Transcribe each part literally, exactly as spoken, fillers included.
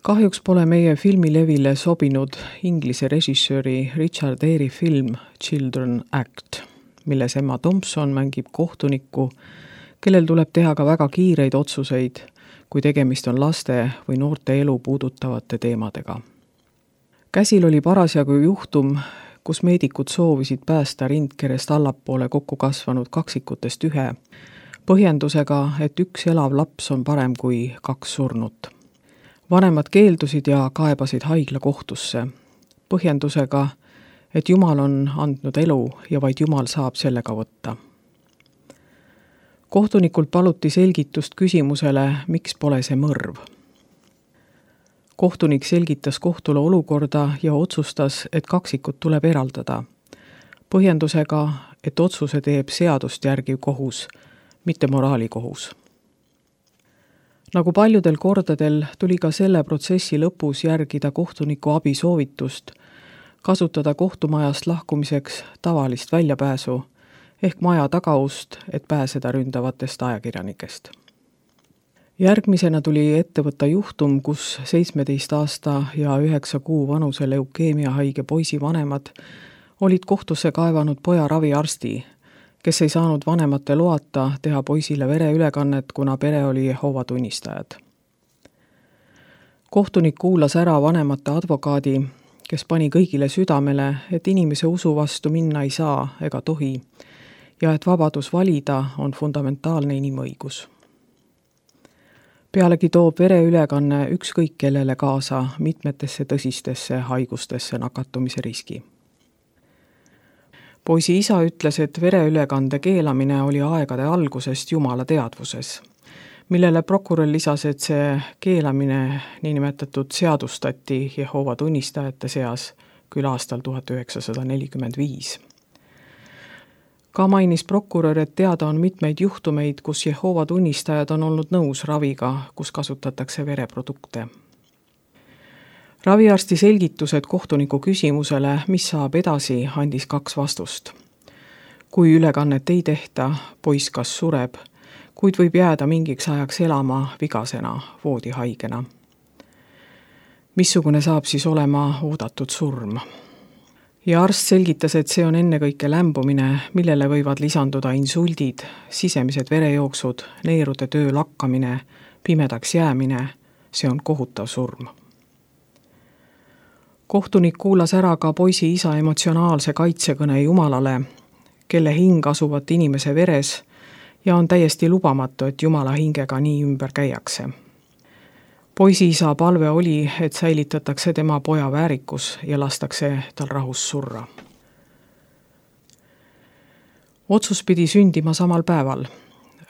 Kahjuks pole meie filmilevile sobinud inglise režissööri Richard Eyre film Children Act, milles Emma Thompson mängib kohtunikku, kellel tuleb teha ka väga kiireid otsuseid, kui tegemist on laste või noorte elu puudutavate teemadega. Käsil oli parasjagu juhtum, kus meedikud soovisid päästa rindkerest allapoole kokku kasvanud kaksikutest ühe, põhjendusega, et üks elav laps on parem kui kaks surnut. Vanemad keeldusid ja kaebasid haigla kohtusse, põhjendusega, et Jumal on andnud elu ja vaid Jumal saab sellega võtta. Kohtunikult paluti selgitust küsimusele, miks pole see mõrv. Kohtunik selgitas kohtule olukorda ja otsustas, et kaksikud tuleb eraldada, põhjendusega, et otsuse teeb seadust järgiv kohus, mitte moraalikohus. Nagu paljudel kordadel tuli ka selle protsessi lõpus järgida kohtuniku abisoovitust, kasutada kohtumajast lahkumiseks tavalist väljapääsu ehk maja tagaust, et pääseda ründavatest ajakirjanikest. Järgmisena tuli ette võtta juhtum, kus seitsmeteist aasta ja üheksa kuu vanuse leukeemiahaige poisi vanemad olid kohtusse kaevanud poja raviarsti, kes ei saanud vanemate loata teha poisile vereülekannet, kuna pere oli Jehoova tunnistajad. Kohtunik kuulas ära vanemate advokaadi, kes pani kõigile südamele, et inimese usu vastu minna ei saa ega tohi ja et vabadus valida on fundamentaalne inimõigus. Pealegi toob vereülekanne ükskõik kellele kaasa mitmetesse tõsistesse haigustesse nakatumise riski. Poisi isa ütles, et vereülekande keelamine oli aegade algusest Jumala teadvuses, millele prokurör lisas, et see keelamine niinimetatud seadustati Jehoova tunnistajate seas küll aastal tuhat üheksasada nelikümmend viis. Ka mainis prokurör, et teada on mitmeid juhtumeid, kus Jehoova tunnistajad on olnud nõus raviga, kus kasutatakse vereprodukte. Raviarsti selgitused kohtuniku küsimusele, mis saab edasi, andis kaks vastust. Kui ülekannet ei tehta, poiss kas sureb, kuid võib jääda mingiks ajaks elama vigasena, voodihaigena. Missugune saab siis olema oodatud surm? Ja arst selgitas, et see on ennekõike lämbumine, millele võivad lisanduda insuldid, sisemised verejooksud, neerude töö lakkamine, pimedaks jäämine, see on kohutav surm. Kohtunik kuulas ära ka poisi isa emotsionaalse kaitsekõne Jumalale, kelle hing asuvat inimese veres ja on täiesti lubamatu, et Jumala hingega nii ümber käiakse. Poisi isa palve oli, et säilitatakse tema poja väärikus ja lastakse tal rahus surra. Otsus pidi sündima samal päeval.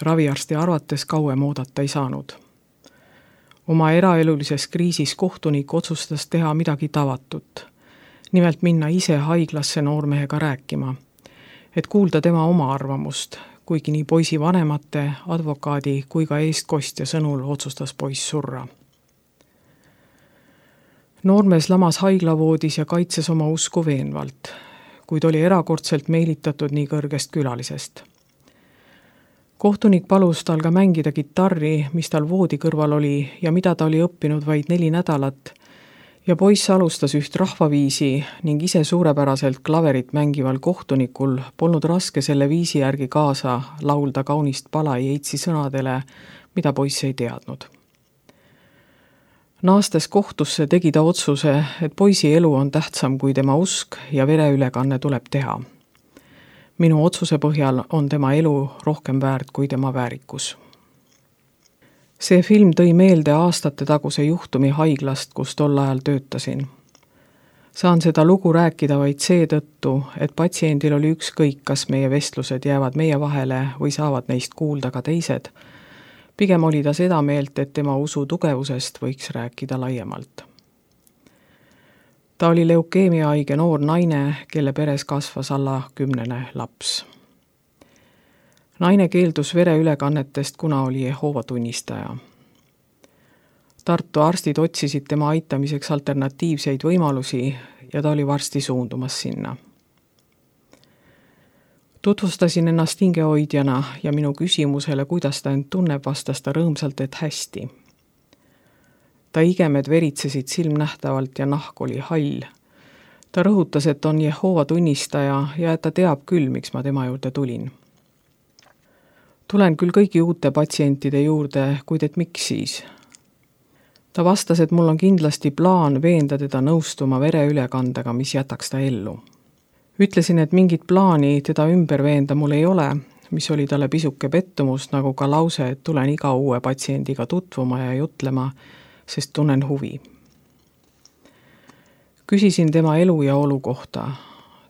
Raviarsti arvates kauem oodata ei saanud. Oma eraelulises kriisis kohtunik otsustas teha midagi tavatut. Nimelt minna ise haiglasse noormehega rääkima, et kuulda tema oma arvamust, kuigi nii poisi vanemate, advokaadi kui ka eestkostja sõnul otsustas poiss surra. Noormees lamas haiglavoodis ja kaitses oma usku veenvalt, kuid oli erakordselt meelitatud nii kõrgest külalisest. Kohtunik palus tal ka mängida kitarri, mis tal voodi kõrval oli ja mida ta oli õppinud vaid neli nädalat, ja poiss alustas üht rahvaviisi ning ise suurepäraselt klaverit mängival kohtunikul polnud raske selle viisi järgi kaasa laulda kaunist pala Yeatsi sõnadele, mida poiss ei teadnud. Naastes kohtusse tegi ta otsuse, et poisi elu on tähtsam kui tema usk ja vereülekanne tuleb teha. Minu otsuse põhjal on tema elu rohkem väärt kui tema väärikus. See film tõi meelde aastate taguse juhtumi haiglast, kus tol ajal töötasin. Saan seda lugu rääkida vaid seetõttu, et patsiendil oli ükskõik, kas meie vestlused jäävad meie vahele või saavad neist kuulda ka teised. Pigem oli ta seda meelt, et tema usu tugevusest võiks rääkida laiemalt. Ta oli leukeemiahaige noor naine, kelle peres kasvas alla kümnene laps. Naine keeldus vereülekannetest, kuna oli Jehoova tunnistaja. Tartu arstid otsisid tema aitamiseks alternatiivseid võimalusi ja ta oli varsti suundumas sinna. Tutvustasin ennast hingehoidjana ja minu küsimusele, kuidas ta end tunneb, vastas ta rõõmsalt, et hästi. ta igemed veritsesid silmnähtavalt ja nahk oli hall. Ta rõhutas, et on Jehova tunnistaja ja et ta teab küll, miks ma tema juurde tulin. Tulen küll kõigi uute patsientide juurde, kuid et miks siis? Ta vastas, et mul on kindlasti plaan veenda teda nõustuma vereülekandega, mis jätaks ta ellu. Ütlesin, et mingit plaani teda ümber veenda mul ei ole, mis oli talle pisuke pettumus, nagu ka lause, et tulen iga uue patsiendiga tutvuma ja jutlema, sest tunnen huvi. Küsisin tema elu ja olu kohta.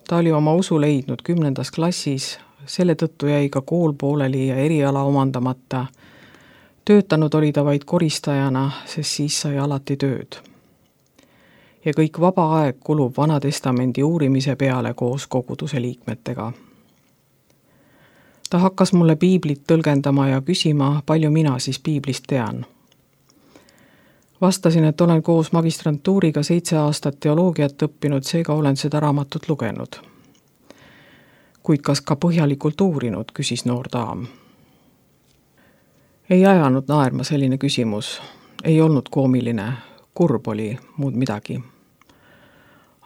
Ta oli oma usu leidnud kümnendas klassis, selle tõttu jäi ka kool pooleli ja eriala omandamata. Töötanud oli ta vaid koristajana, sest siis sai alati tööd. Ja kõik vaba aeg kulub Vana Testamendi uurimise peale koos koguduse liikmetega. Ta hakkas mulle piiblit tõlgendama ja küsima, palju mina siis piiblist tean. Vastasin, et olen koos magistrantuuriga seitse aastat teoloogiat õppinud, seega olen seda raamatut lugenud. Kuid kas ka põhjalikult uurinud, küsis noor daam. Ei ajanud naerma selline küsimus. Ei olnud koomiline, kurb oli, muud midagi.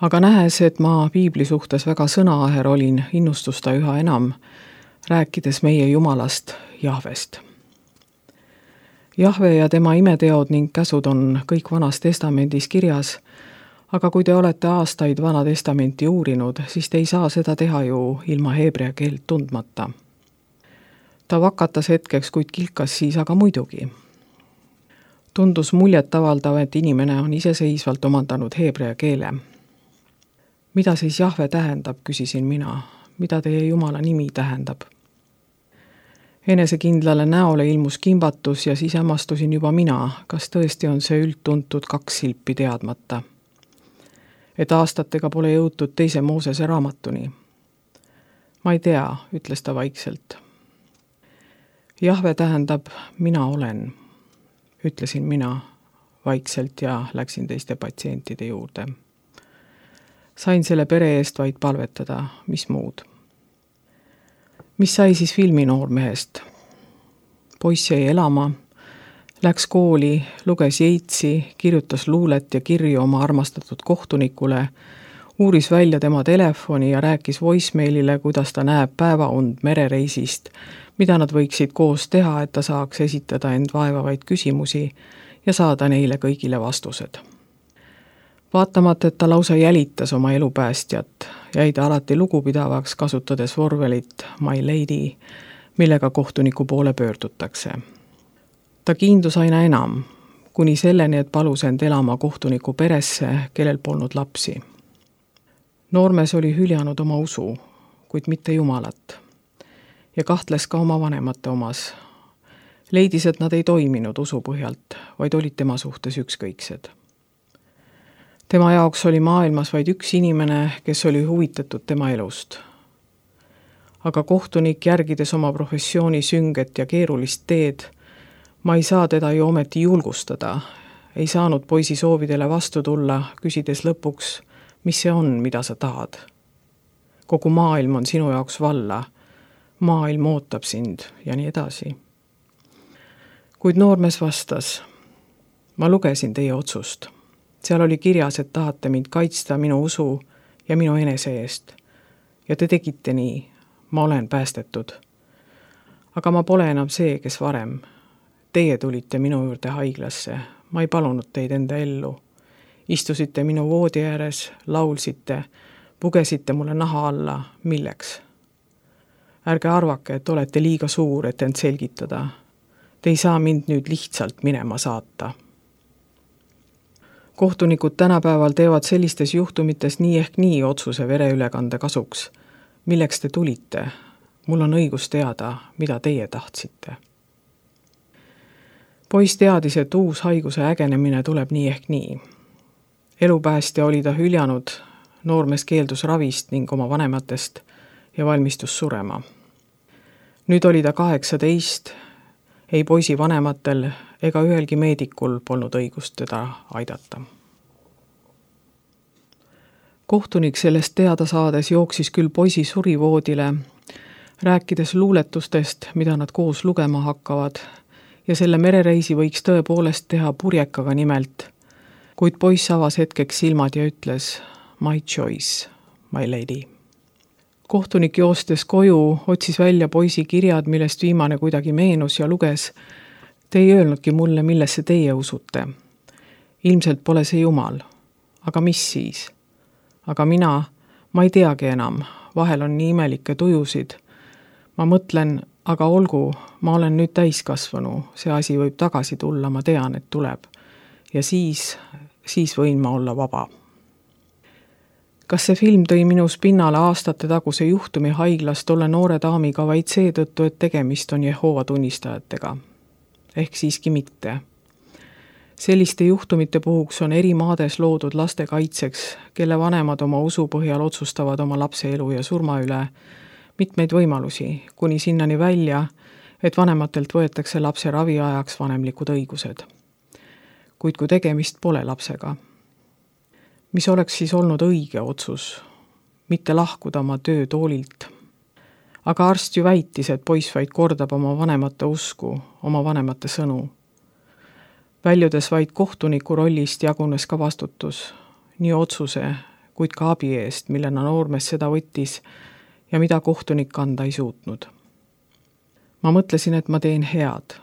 Aga nähes, et ma piibli suhtes väga sõnaaher olin, innustus ta üha enam, rääkides meie Jumalast, Jahvest. Jahve ja tema imeteod ning käsud on kõik Vanas Testamendis kirjas, aga kui te olete aastaid Vana Testamenti uurinud, siis te ei saa seda teha ju ilma heebrea keelt tundmata. Ta vakatas hetkeks, kuid kilkas siis aga muidugi. Tundus muljet avaldav, et inimene on iseseisvalt omandanud heebrea keele. Mida siis Jahve tähendab, küsisin mina. Mida teie Jumala nimi tähendab? Enesekindlale näole ilmus kimbatus ja siis hämmastusin juba mina, kas tõesti on see üldtuntud kaks silpi teadmata. Et aastatega pole jõutud teise Moosese raamatuni. Ma ei tea, ütles ta vaikselt. Jahve tähendab, mina olen, ütlesin mina vaikselt ja läksin teiste patsientide juurde. Sain selle pere eest vaid palvetada, mis muud. Mis sai siis filminoormehest? Poiss jäi elama, läks kooli, luges Yeatsi, kirjutas luulet ja kirju oma armastatud kohtunikule, uuris välja tema telefoni ja rääkis voicemailile, kuidas ta näeb päevaund merereisist, mida nad võiksid koos teha, et ta saaks esitada end vaevavaid küsimusi ja saada neile kõigile vastused. Vaatamata, et ta lausa jälitas oma elupäästjat, jäi ta alati lugupidavaks, kasutades vorvelit My Lady, millega kohtuniku poole pöördutakse. Ta kiindus aina enam, kuni selleni, et palus end elama kohtuniku peresse, kellel polnud lapsi. Noormees oli hüljanud oma usu, kuid mitte Jumalat, ja kahtles ka oma vanemate omas. Leidis, et nad ei toiminud usu põhjalt, vaid olid tema suhtes ükskõiksed. Tema jaoks oli maailmas vaid üks inimene, kes oli huvitatud tema elust. Aga kohtunik, järgides oma professiooni sünget ja keerulist teed, ma ei saa teda ju ometi julgustada, ei saanud poisi soovidele vastu tulla, küsides lõpuks, mis see on, mida sa tahad. Kogu maailm on sinu jaoks valla, maailm ootab sind ja nii edasi. Kuid noormees vastas, ma lugesin teie otsust. Seal oli kirjas, et tahate mind kaitsta minu usu ja minu enese eest. Ja te tegite nii, ma olen päästetud. Aga ma pole enam see, kes varem. Teie tulite minu juurde haiglasse, ma ei palunud teid enda ellu. Istusite minu voodi ääres, laulsite, pugesite mulle naha alla, milleks? Ärge arvake, et olete liiga suur, et end selgitada. Te ei saa mind nüüd lihtsalt minema saata. Kohtunikud tänapäeval teevad sellistes juhtumites nii ehk nii otsuse vereülekande kasuks. Milleks te tulite? Mul on õigus teada, mida teie tahtsite. Poiss teadis, et uus haiguse ägenemine tuleb nii ehk nii. Elupäästja oli ta hüljanud, noormees keeldus ravist ning oma vanematest ja valmistus surema. Nüüd oli ta kaheksateist, ei poisi vanematel ega ühelgi meedikul polnud õigust teda aidata. Kohtunik sellest teada saades jooksis küll poisi surivoodile, rääkides luuletustest, mida nad koos lugema hakkavad, ja selle merereisi võiks tõepoolest teha purjekaga nimelt, kuid poiss avas hetkeks silmad ja ütles my choice, my lady. Kohtunik joostes koju otsis välja poisi kirjad, millest viimane kuidagi meenus ja luges: te ei öelnudki mulle, millesse teie usute. Ilmselt pole see Jumal. Aga mis siis? Aga mina, ma ei teagi enam, vahel on nii imelikke tujusid. Ma mõtlen, aga olgu, ma olen nüüd täiskasvanu, see asi võib tagasi tulla, ma tean, et tuleb. Ja siis, siis võin ma olla vaba. Kas see film tõi minus pinnale aastate taguse juhtumi haiglas tolle noore daamiga vaid seetõttu, et tegemist on Jehoova tunnistajatega? Ehk siiski mitte. Selliste juhtumite puhuks on eri maades loodud laste kaitseks, kelle vanemad oma usu põhjal otsustavad oma lapse elu ja surma üle, mitmeid võimalusi, kuni sinnani välja, et vanematelt võetakse lapse raviajaks vanemlikud õigused. Kuid kui tegemist pole lapsega, mis oleks siis olnud õige otsus, mitte lahkuda oma töötoolilt. Aga arst ju väitis, et poiss vaid kordab oma vanemate usku, oma vanemate sõnu. Väljudes vaid kohtuniku rollist jagunes ka vastutus, nii otsuse, kuid ka abi eest, millena noormees seda võttis ja mida kohtunik anda ei suutnud. Ma mõtlesin, et ma teen head.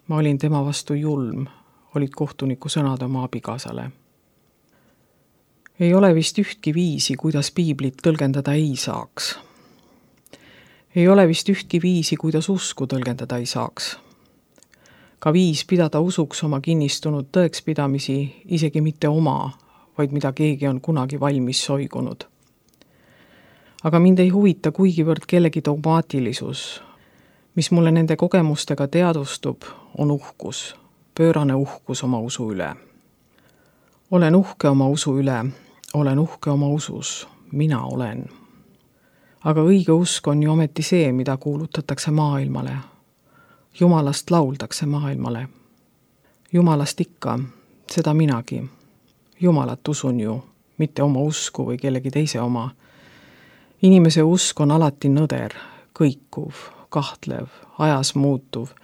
Ma olin tema vastu julm, olid kohtuniku sõnad oma abikaasale. Ei ole vist ühtki viisi, kuidas piiblit tõlgendada ei saaks. Ei ole vist ühtki viisi, kuidas usku tõlgendada ei saaks. Ka viis pidada usuks oma kinnistunud tõekspidamisi, isegi mitte oma, vaid mida keegi on kunagi valmis soigunud. Aga mind ei huvita kuigivõrd kellegi dogmaatilisus. Mis mulle nende kogemustega teadvustub, on uhkus, pöörane uhkus oma usu üle. Olen uhke oma usu üle, olen uhke oma usus, mina olen. Aga õige usk on ju ometi see, mida kuulutatakse maailmale. Jumalast lauldakse maailmale. Jumalast ikka, seda minagi. Jumalat usun ju, mitte oma usku või kellegi teise oma. Inimese usk on alati nõder, kõikuv, kahtlev, ajas muutuv,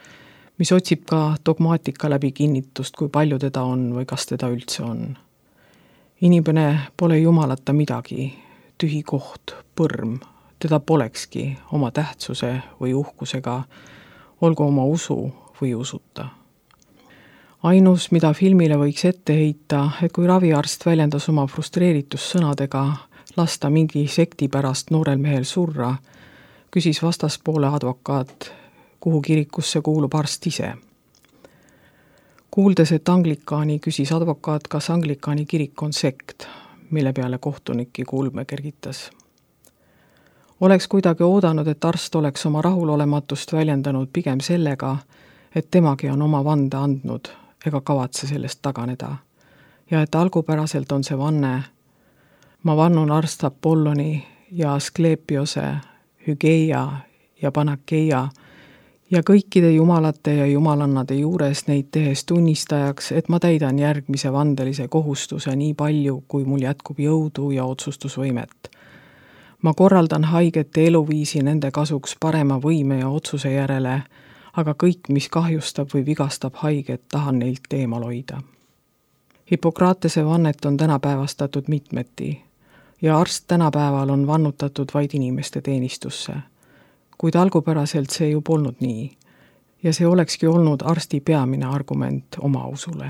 mis otsib ka dogmaatika läbi kinnitust, kui palju teda on või kas teda üldse on. Inimene pole Jumalata midagi, tühi koht, põrm, teda polekski oma tähtsuse või uhkusega, olgu oma usu või usuta. Ainus, mida filmile võiks ette heita, et kui raviarst väljendas oma frustreeritus sõnadega lasta mingi sekti pärast noorel mehel surra, küsis vastaspoole advokaat, kuhu kirikusse kuulub arst ise. Kuuldes, et anglikaani, küsis advokaat, kas anglikaani kirik on sekt, mille peale kohtuniki kulme kergitas. Oleks kuidagi oodanud, et arst oleks oma rahulolematust väljendanud pigem sellega, et temagi on oma vande andnud ega kavatse sellest taganeda. Ja et algupäraselt on see vanne: ma vannun arst Apolloni ja Asklepiose, Hügeia ja Panakeia ja kõikide jumalate ja jumalannade juures neid tehes tunnistajaks, et ma täidan järgmise vandelise kohustuse nii palju, kui mul jätkub jõudu ja otsustusvõimet. Ma korraldan haigete eluviisi nende kasuks parema võime ja otsuse järele, aga kõik, mis kahjustab või vigastab haiget, tahan neilt teemal hoida. Hippokratese vannet on tänapäevastatud mitmeti ja arst tänapäeval on vannutatud vaid inimeste teenistusse. Kuid algupäraselt see ju polnud nii ja see olekski olnud arsti peamine argument oma usule.